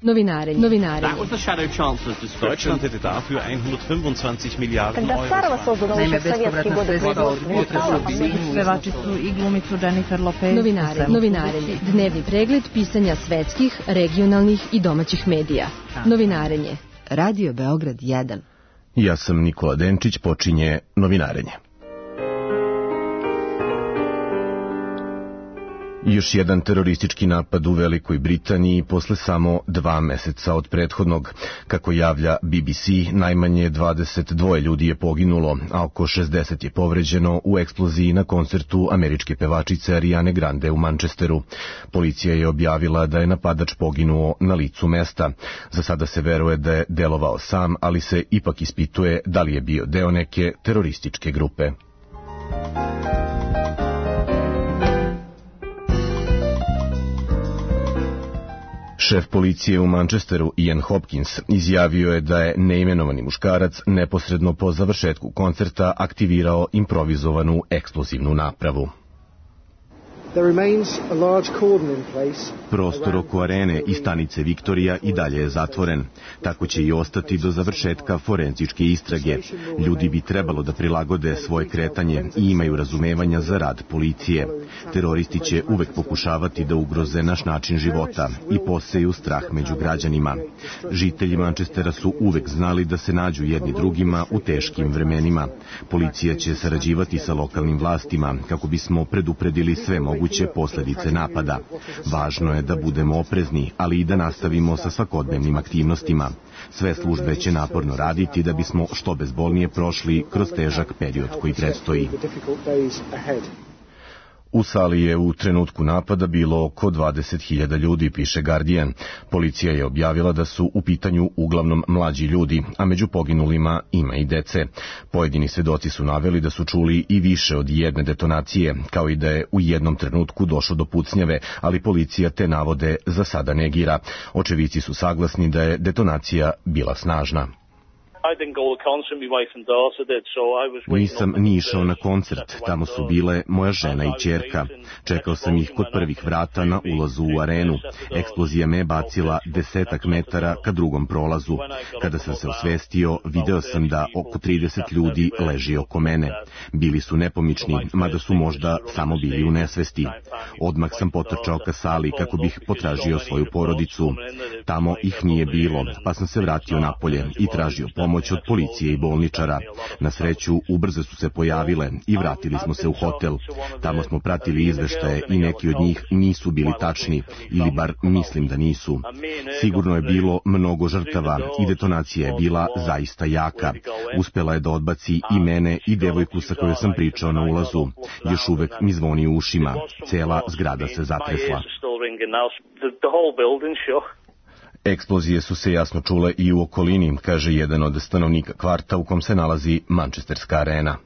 Novinarenje. That was the Shadow Chancellor's description. Deutschland hätte dafür 125 Milijarden Euro. Naime, bespovratna sredstva od pevačicu i glumicu Jennifer Lopez. Novinarenje. Dnevni pregled pisanja svetskih, regionalnih i domaćih medija. Novinarenje. Radio Beograd 1. Ja sam Nikola Denčić, počinje Novinarenje. Još jedan teroristički napad u Velikoj Britaniji posle samo 2 meseca od prethodnog. Kako javlja BBC, najmanje 22 ljudi je poginulo, a oko 60 je povređeno u eksploziji na koncertu američke pevačice Ariane Grande u Manchesteru. Policija je objavila da je napadač poginuo na licu mesta. Za sada se veruje da je delovao sam, ali se ipak ispituje da li je bio deo neke terorističke grupe. Šef policije u Manchesteru, Ian Hopkins, izjavio je da je neimenovani muškarac neposredno po završetku koncerta aktivirao improvizovanu eksplozivnu napravu. Prostor oko arene i stanice Viktorija i dalje je zatvoren. Tako će i ostati do završetka forenzičke istrage. Ljudi bi trebalo da prilagode svoje kretanje i imaju razumevanja za rad policije. Teroristi će uvek pokušavati da ugroze naš način života i poseju strah među građanima. Žitelji Manchestera su uvek znali da se nađu jedni drugima u teškim vremenima. Policija će sarađivati sa lokalnim vlastima kako bismo predupredili sve moguće posledice napada. Važno je da budemo oprezni, ali i da nastavimo sa svakodnevnim aktivnostima. Sve službe će naporno raditi da bismo što bezbolnije prošli kroz težak period koji predstoji. U sali je u trenutku napada bilo oko 20.000 ljudi, piše Guardian. Policija je objavila da su u pitanju uglavnom mlađi ljudi, a među poginulima ima i dece. Pojedini svedoci su naveli da su čuli i više od jedne detonacije, kao i da je u jednom trenutku došlo do pucnjave, ali policija te navode za sada negira. Očevici su saglasni da je detonacija bila snažna. Nisam ni išao na koncert, tamo su bile moja žena i ćerka. Čekao sam ih kod prvih vrata na ulazu u arenu. Eksplozija me je bacila 10 metara ka drugom prolazu. Kada sam se osvestio, video sam da oko 30 ljudi leži oko mene. Bili su nepomični, mada su možda samo bili u nesvesti. Odmah sam potrčao ka sali kako bih potražio svoju porodicu. Tamo ih nije bilo, pa sam se vratio napolje i tražio pomoć od policije i bolničara. Na sreću, ubrzo su se pojavile i vratili smo se u hotel. Tamo smo pratili izveštaje i neki od njih nisu bili tačni, ili bar mislim da nisu. Sigurno je bilo mnogo žrtava i detonacija je bila zaista jaka. Uspela je da odbaci i mene i devojku sa kojoj sam pričao na ulazu. Još uvek mi zvoni u ušima. Cela zgrada se zatresla. Eksplozije su se jasno čule i u okolini, kaže jedan od stanovnika kvarta u kom se nalazi Manchesterska arena.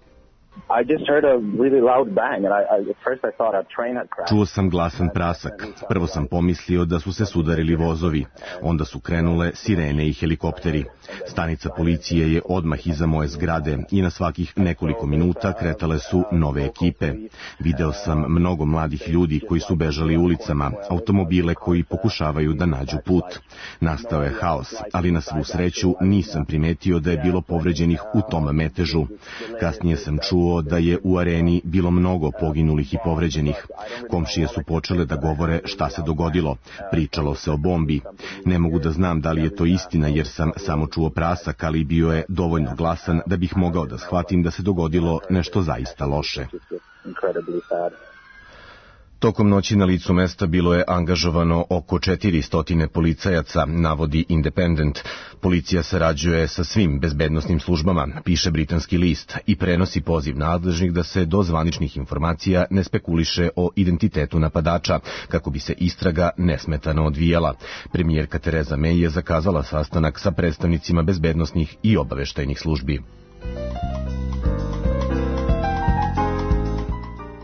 Čuo sam glasan prasak. Prvo sam pomislio da su se sudarili vozovi. Onda su krenule sirene i helikopteri. Stanica policije je odmah iza moje zgrade i na svakih nekoliko minuta kretale su nove ekipe. Video sam mnogo mladih ljudi koji su bežali ulicama, automobile koji pokušavaju da nađu put. Nastao je haos, ali na svu sreću nisam primetio da je bilo povređenih u tom metežu. Kasnije sam čuo da je u areni bilo mnogo poginulih i povređenih. Komšije su počele da govore šta se dogodilo. Pričalo se o bombi. Ne mogu da znam da li je to istina jer sam samo čuo prasak, ali bio je dovoljno glasan da bih mogao da shvatim da se dogodilo nešto zaista loše. Tokom noći na licu mesta bilo je angažovano oko 400 policajaca, navodi Independent. Policija sarađuje sa svim bezbednosnim službama, piše britanski list, i prenosi poziv nadležnih da se do zvaničnih informacija ne spekuliše o identitetu napadača, kako bi se istraga nesmetano odvijala. Premijerka Tereza May je zakazala sastanak sa predstavnicima bezbednosnih i obaveštajnih službi.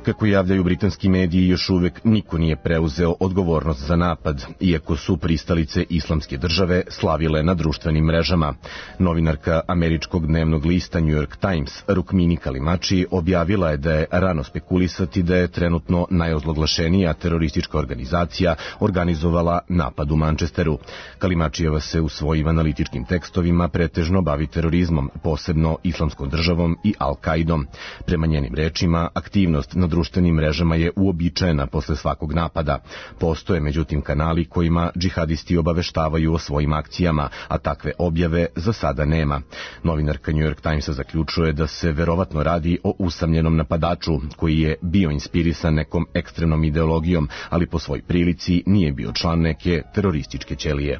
Kako javljaju britanski mediji, još uvek niko nije preuzeo odgovornost za napad, iako su pristalice Islamske države slavile na društvenim mrežama. Novinarka američkog dnevnog lista New York Times, Rukmini Kalimachi, objavila je da je rano spekulisati da je trenutno najozloglašenija teroristička organizacija organizovala napad u Manchesteru. Kalimačijeva se u svojim analitičkim tekstovima pretežno bavi terorizmom, posebno Islamskom državom i Al-Kaidom. Prema njenim rečima, aktivnost na društvenim mrežama je uobičajena posle svakog napada. Postoje međutim kanali kojima džihadisti obaveštavaju o svojim akcijama, a takve objave za sada nema. Novinarka New York Timesa zaključuje da se verovatno radi o usamljenom napadaču koji je bio inspirisan nekom ekstremnom ideologijom, ali po svoj prilici nije bio član neke terorističke ćelije.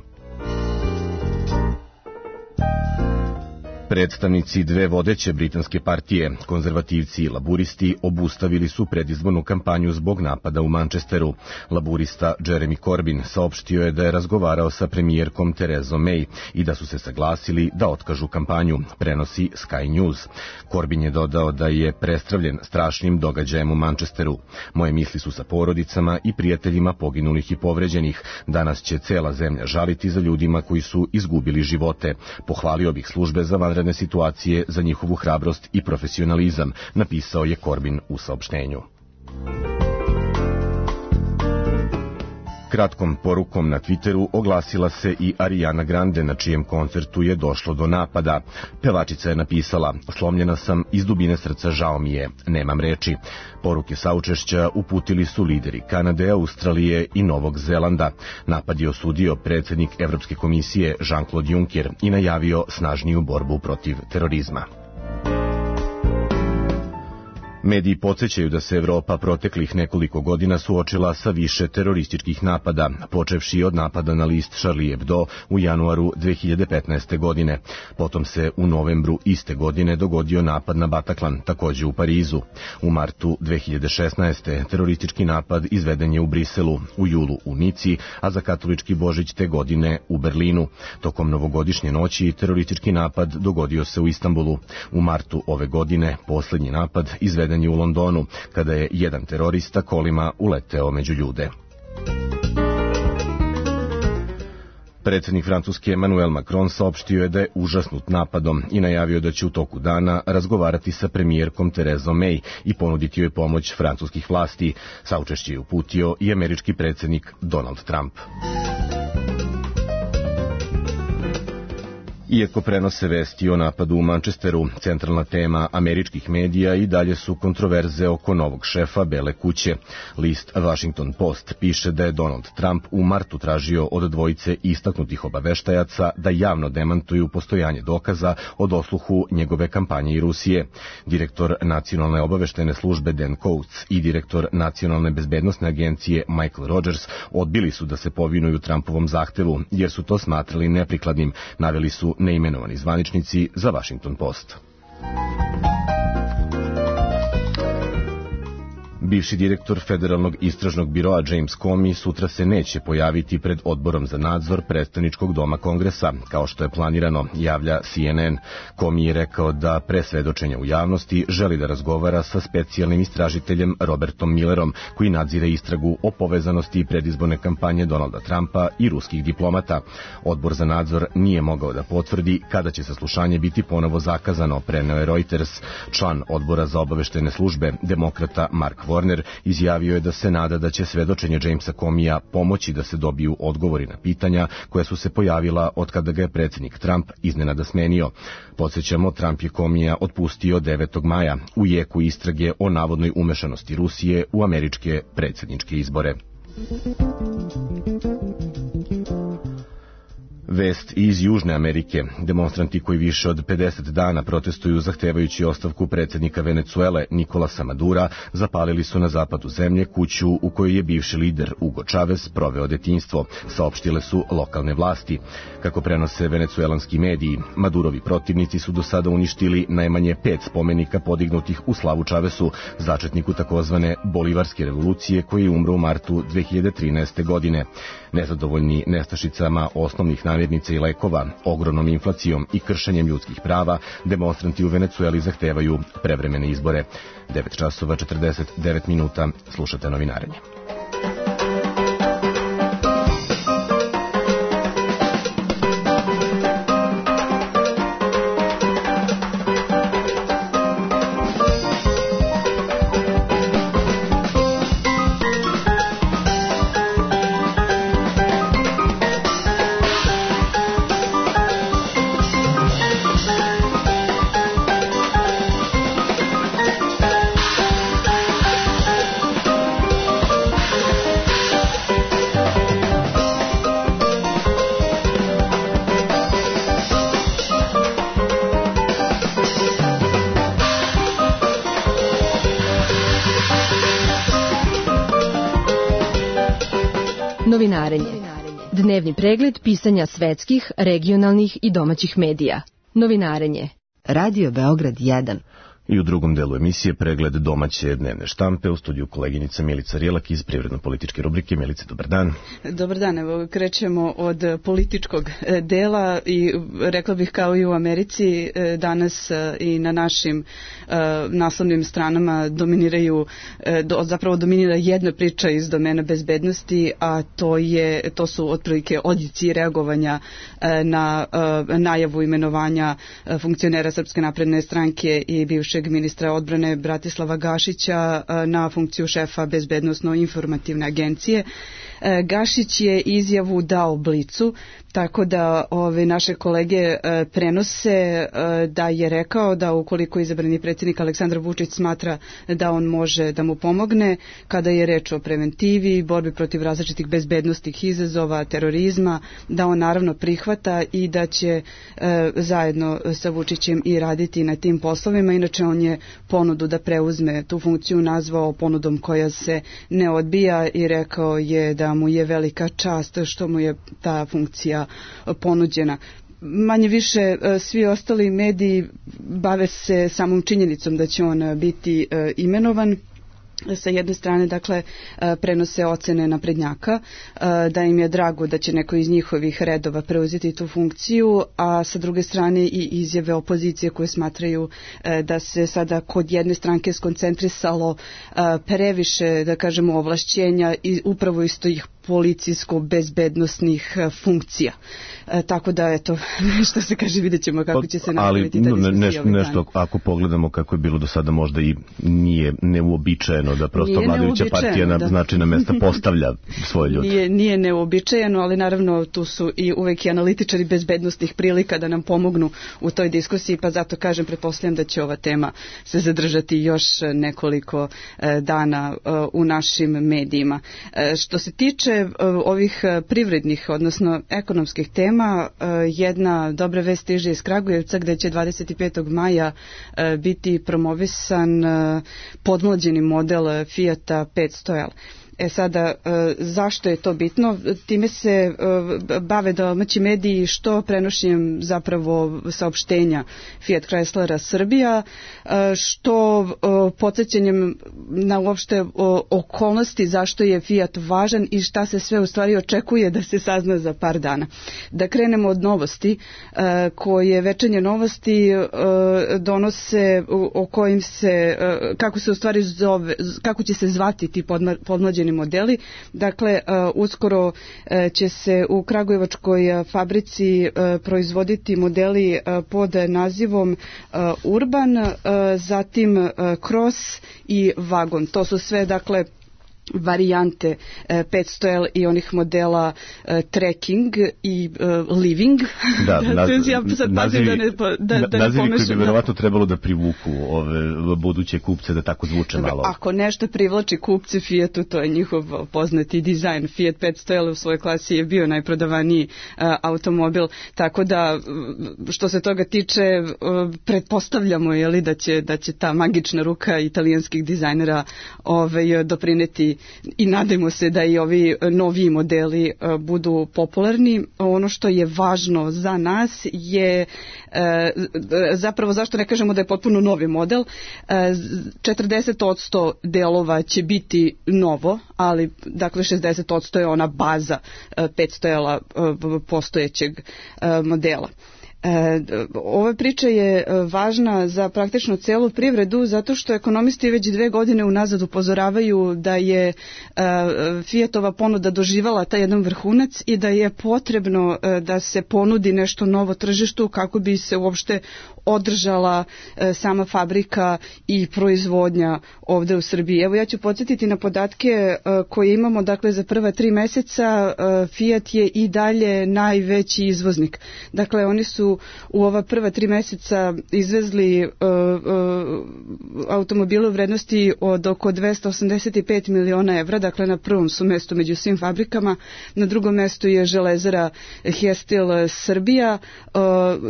Predstavnici dve vodeće britanske partije, konzervativci i laburisti, obustavili su predizbornu kampanju zbog napada u Manchesteru. Laburista Jeremy Corbyn saopštio je da je razgovarao sa premijerkom Theresa May i da su se saglasili da otkažu kampanju, prenosi Sky News. Corbyn je dodao da je prestravljen strašnim događajem u Manchesteru. Moje misli su sa porodicama i prijateljima poginulih i povređenih. Danas će cela zemlja žaliti za ljudima koji su izgubili živote. Pohvalio bih službe za vanredne situacije za njihovu hrabrost i profesionalizam, napisao je Corbyn u saopštenju. Kratkom porukom na Twitteru oglasila se i Ariana Grande, na čijem koncertu je došlo do napada. Pevačica je napisala: "Slomljena sam, iz dubine srca žao mi je, nemam reči." Poruke saučešća uputili su lideri Kanade, Australije i Novog Zelanda. Napad je osudio predsjednik Evropske komisije Jean-Claude Juncker i najavio snažniju borbu protiv terorizma. Mediji podsjećaju da se Evropa proteklih nekoliko godina suočila sa više terorističkih napada, počevši od napada na list Charlie Hebdo u januaru 2015. godine. Potom se u novembru iste godine dogodio napad na Bataclan, takođe u Parizu. U martu 2016. teroristički napad izveden je u Briselu, u julu u Nici, a za katolički Božić te godine u Berlinu. Tokom novogodišnje noći teroristički napad dogodio se u Istanbulu. U martu ove godine poslednji napad izveden je u Londonu, kada je jedan terorista kolima uleteo među ljude. Predsjednik Francuske Emmanuel Macron saopštio je da je užasnut napadom i najavio da će u toku dana razgovarati sa premijerkom Theresom May i ponuditi joj pomoć francuskih vlasti. Saučešće je uputio i američki predsjednik Donald Trump. Iako prenose vesti o napadu u Manchesteru, centralna tema američkih medija i dalje su kontroverze oko novog šefa Bele kuće. List Washington Post piše da je Donald Trump u martu tražio od dvojice istaknutih obaveštajaca da javno demantuju postojanje dokaza o dosluhu njegove kampanje i Rusije. Direktor Nacionalne obaveštene službe Dan Coats i direktor Nacionalne bezbednosne agencije Michael Rogers odbili su da se povinuju Trumpovom zahtevu, jer su to smatrali neprikladnim, naveli su neimenovani zvaničnici za Washington Post. Bivši direktor Federalnog istražnog biroa James Comey sutra se neće pojaviti pred odborom za nadzor predstavničkog doma Kongresa, kao što je planirano, javlja CNN. Comey je rekao da pre svedočenja u javnosti želi da razgovara sa specijalnim istražiteljem Robertom Millerom, koji nadzire istragu o povezanosti predizborne kampanje Donalda Trumpa i ruskih diplomata. Odbor za nadzor nije mogao da potvrdi kada će saslušanje biti ponovo zakazano, preneo je Reuters. Član odbora za obaveštene službe, demokrata Mark Warner, izjavio je da se nada da će svedočenje Jamesa Comeyja pomoći da se dobiju odgovori na pitanja koja su se pojavila od kada ga je predsjednik Trump iznenada smenio. Podsjećamo, Trump je Comeyja otpustio 9. maja u jeku istrage o navodnoj umešanosti Rusije u američke predsjedničke izbore. Vest iz Južne Amerike. Demonstranti koji više od 50 dana protestuju zahtevajući ostavku predsjednika Venecuele Nicolasa Madura zapalili su na zapadu zemlje kuću u kojoj je bivši lider Hugo Chavez proveo detinjstvo, saopštile su lokalne vlasti. Kako prenose venecuelanski mediji, Madurovi protivnici su do sada uništili najmanje 5 spomenika podignutih u slavu Chavezu, začetniku takozvane Bolivarske revolucije koji je umro u martu 2013. godine. Nezadovoljni nestašicama osnovnih namirnica i lekova, ogromnom inflacijom i kršenjem ljudskih prava, demonstranti u Venecueli zahtevaju prevremene izbore. 9 časova 49 minuta, slušate novinarenje. Novinarenje. Dnevni pregled pisanja svetskih, regionalnih i domaćih medija. Novinarenje. Radio Beograd 1. I u drugom delu emisije pregled domaće dnevne štampe, u studiju koleginica Milica Rijelak iz privredno-političke rubrike. Milice, dobar dan. Dobar dan, evo krećemo od političkog dela i rekla bih kao i u Americi danas i na našim naslovnim stranama zapravo dominira jedna priča iz domena bezbednosti, a to su otprilike odjeci reagovanja na najavu imenovanja funkcionera Srpske napredne stranke i bivšeg ministra odbrane Bratislava Gašića na funkciju šefa bezbednosno-informativne agencije. Gašić je izjavu dao Blicu, tako da naše kolege prenose da je rekao da ukoliko izabrani predsjednik Aleksandar Vučić smatra da on može da mu pomogne kada je reč o preventivi, borbi protiv različitih bezbednosnih izazova, terorizma, da on naravno prihvata i da će zajedno sa Vučićem i raditi na tim poslovima. Inače, on je ponudu da preuzme tu funkciju nazvao ponudom koja se ne odbija i rekao je da mu je velika čast što mu je ta funkcija ponuđena. Manje više svi ostali mediji bave se samom činjenicom da će on biti imenovan. Sa jedne strane, dakle, prenose ocene naprednjaka, da im je drago da će neko iz njihovih redova preuzeti tu funkciju, a sa druge strane i izjave opozicije koje smatraju da se sada kod jedne stranke skoncentrisalo previše, da kažemo, ovlašćenja i upravo isto ih policijsko-bezbednosnih funkcija. Tako da, eto, što se kaže, vidjet ćemo kako će se napraviti ta diskusija. Ali nešto, ako pogledamo kako je bilo do sada, možda i nije neuobičajeno da prosto vladajuća partija na značajna mesta postavlja svoje ljude. Nije neuobičajeno, ali naravno tu su i uvek i analitičari bezbednostnih prilika da nam pomognu u toj diskusiji, pa zato kažem, pretpostavljam da će ova tema se zadržati još nekoliko dana u našim medijima. Što se tiče ovih privrednih, odnosno ekonomskih tema, jedna dobra vest stiže iz Kragujevca gde će 25. maja biti promovisan podmlađeni model Fijata 500L. Sada, zašto je to bitno? Time se bave domaći mediji što prenošenjem zapravo saopštenja Fiat Chryslera Srbija, što podsjećanjem na uopšte okolnosti zašto je Fiat važan i šta se sve u stvari očekuje da se sazna za par dana. Da krenemo od novosti, koje Večernje novosti donose o kojim se, kako se u stvari zove, kako će se zvati ti podmlađeni modeli. Dakle, uskoro će se u kragujevačkoj fabrici proizvoditi modeli pod nazivom Urban, zatim Cross i Vagon. To su sve, dakle, varijante 500L i onih modela Trekking i Living. Da, nazivi koji bi verovatno trebalo da privuku ove buduće kupce, da tako zvuče malo. Ako nešto privlači kupce Fiatu, to je njihov poznati dizajn. Fiat 500L u svojoj klasi je bio najprodavaniji automobil, tako da što se toga tiče pretpostavljamo da će ta magična ruka italijanskih dizajnera doprineti i nadajmo se da i ovi noviji modeli budu popularni. Ono što je važno za nas je zapravo zašto ne kažemo da je potpuno novi model. 40% delova će biti novo, ali dakle 60% je ona baza 5 stojala postojećeg modela. Ova priča je važna za praktično celu privredu zato što ekonomisti već 2 godine unazad upozoravaju da je Fiatova ponuda doživala taj jedan vrhunac i da je potrebno da se ponudi nešto novo tržištu kako bi se uopšte održala sama fabrika i proizvodnja ovde u Srbiji. Evo ja ću podsjetiti na podatke koje imamo, dakle za prva 3 meseca Fiat je i dalje najveći izvoznik. Dakle oni su u ova prva 3 meseca izvezli automobile u vrednosti od oko 285 miliona evra, dakle na prvom su mestu među svim fabrikama, na drugom mestu je železara Hestil Srbija,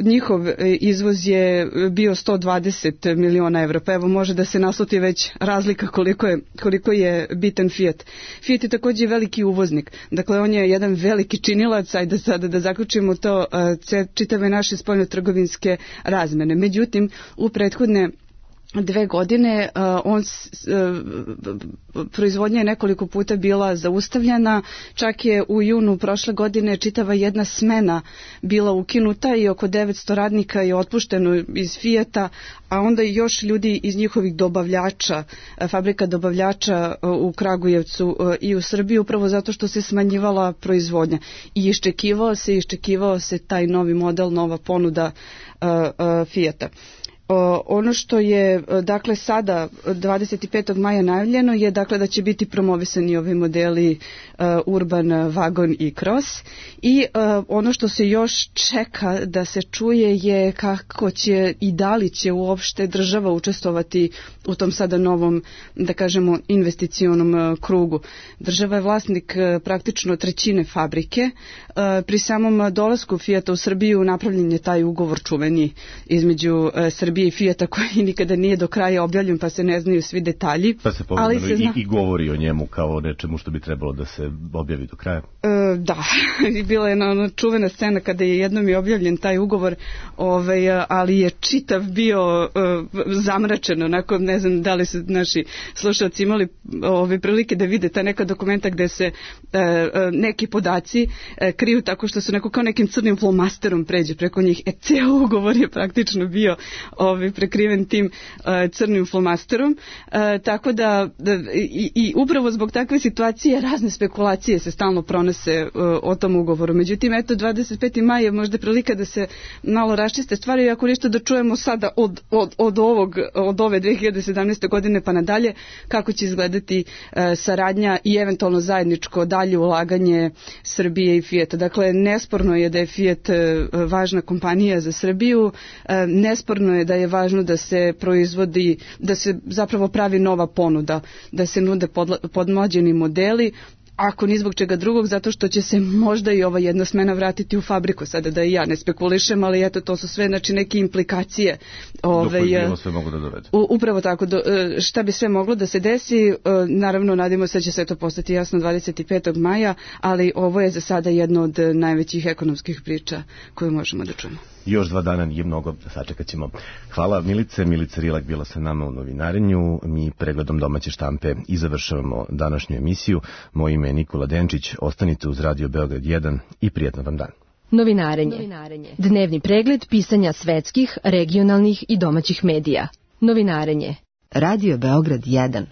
njihov izvoz je bio 120 miliona evra, pa evo može da se nasluti već razlika koliko je bitan Fiat. Fiat je takođe veliki uvoznik, dakle on je jedan veliki činilac, ajde sada da zaključimo to, čitave naše spoljnotrgovinske razmene. Međutim, u prethodne 2 godine proizvodnja je nekoliko puta bila zaustavljena, čak je u junu prošle godine čitava jedna smena bila ukinuta i oko 900 radnika je otpušteno iz Fijata, a onda i još ljudi iz njihovih dobavljača, fabrika dobavljača u Kragujevcu i u Srbiji, upravo zato što se smanjivala proizvodnja i iščekivao se taj novi model, nova ponuda Fijata. Ono što je dakle sada 25. maja najavljeno je dakle da će biti promovisani ovi modeli Urban, Wagon i Cross i ono što se još čeka da se čuje je kako će i da li će uopšte država učestvovati u tom sada novom, da kažemo, investicionom krugu. Država je vlasnik praktično 1/3 fabrike. Pri samom dolasku Fijata u Srbiju napravljen je taj ugovor čuveni između Srbije i Fijata koji nikada nije do kraja objavljen, pa se ne znaju svi detalji. Pa se povremeno i govori o njemu kao nečemu što bi trebalo da se objavi do kraja. Da, bila je ona čuvena scena kada je jednom i objavljen taj ugovor, ali je čitav bio zamračen, onako ne znam da li su naši slušalci imali prilike da vide ta neka dokumenta gde se neki podaci kriju tako što su kao nekim crnim flomasterom pređe preko njih. Ceo ugovor je praktično bio prekriven tim crnim flomasterom, tako da i upravo zbog takve situacije razne spekulacije se stalno pronose o tom ugovoru. Međutim, eto, 25. maj je možda prilika da se malo raščiste stvari i ako ništa da čujemo sada od ove 2017. godine pa nadalje kako će izgledati saradnja i eventualno zajedničko dalje ulaganje Srbije i Fijata. Dakle, nesporno je da je Fijat važna kompanija za Srbiju, nesporno je da je važno da se proizvodi, da se zapravo pravi nova ponuda, da se nude podmlađeni modeli, ako ni zbog čega drugog, zato što će se možda i ova jedna smena vratiti u fabriku, sada da i ja ne spekulišem, ali eto, to su sve neke implikacije. Do kojih bilo sve mogu da dovede. Upravo tako, šta bi sve moglo da se desi, naravno nadimo se da će sve to postati jasno 25. maja, ali ovo je za sada jedno od najvećih ekonomskih priča koje možemo da čujemo. Još 2 dana nije mnogo, sačekat ćemo. Hvala Milice. Milica Rilak bila sa nama u novinarenju. Mi pregledom domaće štampe i završavamo današnju emisiju. Moje ime je Nikola Denčić. Ostanite uz Radio Beograd 1 i prijatno vam dan. Novinarenje. Dnevni pregled pisanja svetskih, regionalnih i domaćih medija. Novinarenje. Radio Beograd 1.